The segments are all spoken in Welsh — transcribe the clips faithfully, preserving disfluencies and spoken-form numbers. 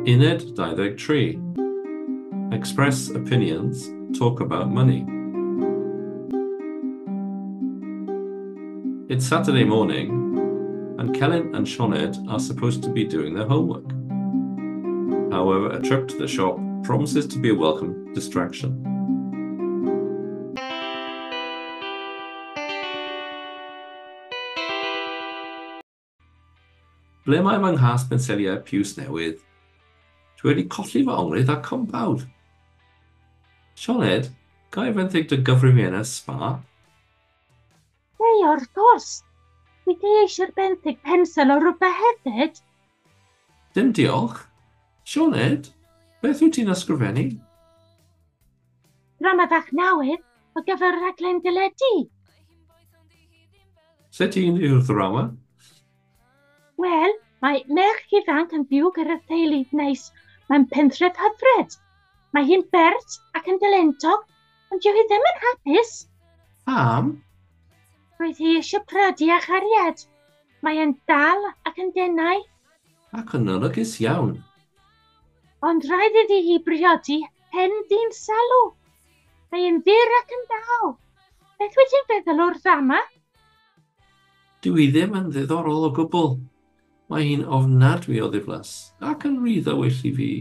Uned dau ddeg tri. Express opinions, talk about money. It's Saturday morning, and Celyn and Sioned are supposed to be doing their homework. However, a trip to the shop promises to be a welcome distraction. Ble mae fy nghas penseliau piws newydd? Dwi wedi colli fy onglydd a compawd. Sioned, ga i fenthyg dy gyfrifiannell sbâr? Ei, wrth gwrs. Dwi ti eisiau'r benthyg pensel o rhywbeth hefyd? Dim diolch. Sioned, beth wyt ti'n ysgrifennu? Drama fach newydd o gyfer rhaglen deledu. Sut un yw'r ddrama? Wel, mae merch ifanc yn byw gyda theulu neis mewn pentref hyfryd. Mae hi'n bert ac yn dalentog, ond dyw hi ddim yn hapus. Pam? Roedd hi eisiau priodi â chariad. Mae e'n dal ac yn denau. Ac yn olygus iawn. Ond rhaid iddi hi briodi hen ddyn salw. Mae e'n fyr ac yn dal. Beth wyt ti'n feddwl o'r ddrama? Dyw hi ddim yn ddiddorol o gwbl. Mae hi'n ofnadwy o ddiflas ac yn rhy ddywyll i fi.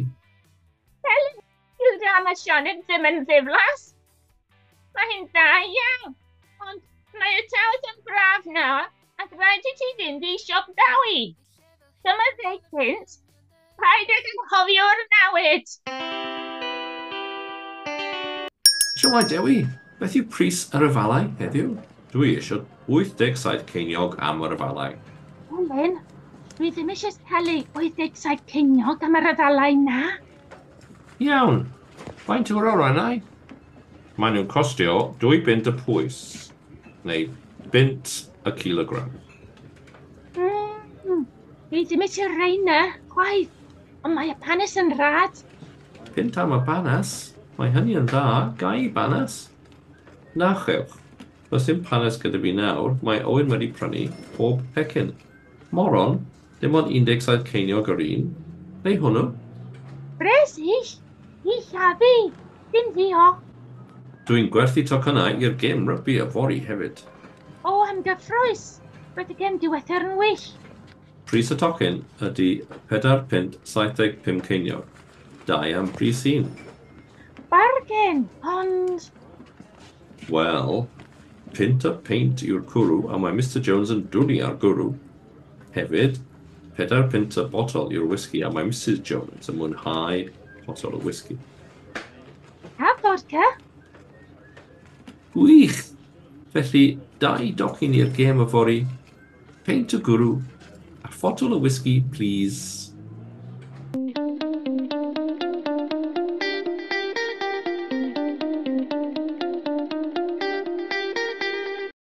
Wel, dyw'r drama Sioned ddim yn ddiflas. Mae hi'n dda iawn, ond mae y tywydd yn braf nawr ac rhaid i ti fynd i siop Dewi. Dyma ddeg punt. Paid ag anghofio'r newid. Shwmae Dewi, beth yw pris yr afalau heddiw? Dwi eisiau wyth deg saith ceiniog am yr afalau. Elin, dwi ddim eisiau talu wyth deg saith ceiniog am yr afalau na. Iawn, faint yw'r orannau? Maen nhw'n costio dwy bunt y pwys, neu bunt y kilogram. Mm, dwi ddim eisiau rheina, chwaith, ond mae y panes yn rhad. Punt am y banas? Mae hynny yn dda, ga i banas? Na chewch, does dim panes gyda fi nawr, mae Owen wedi prynu pob pecyn. Moron, dim ond un deg saith ceiniog yr un, neu hwnnw? Bresych, i llafu, dim diolch. Dwi'n gwerthu tocynnau i'r gêm rygbi yfory hefyd. O, am gyffrous! Roedd y gêm diwethaf yn wych. Pris y tocyn ydy pedair punt saith deg pum ceiniog. Dau am bris un. Bargen, ond... Wel, punt y peint yw'r cwrw a mae Mister Jones yn dwlu ar gwrw. Hefyd, pedair punt y botol yw'r whisky a mae Missus Jones yn mwynhau potol o whisky. A vodka? Gwych! Felly, dau docyn i'r gêm yfory, peint o gwrw, a photol o whisky, please.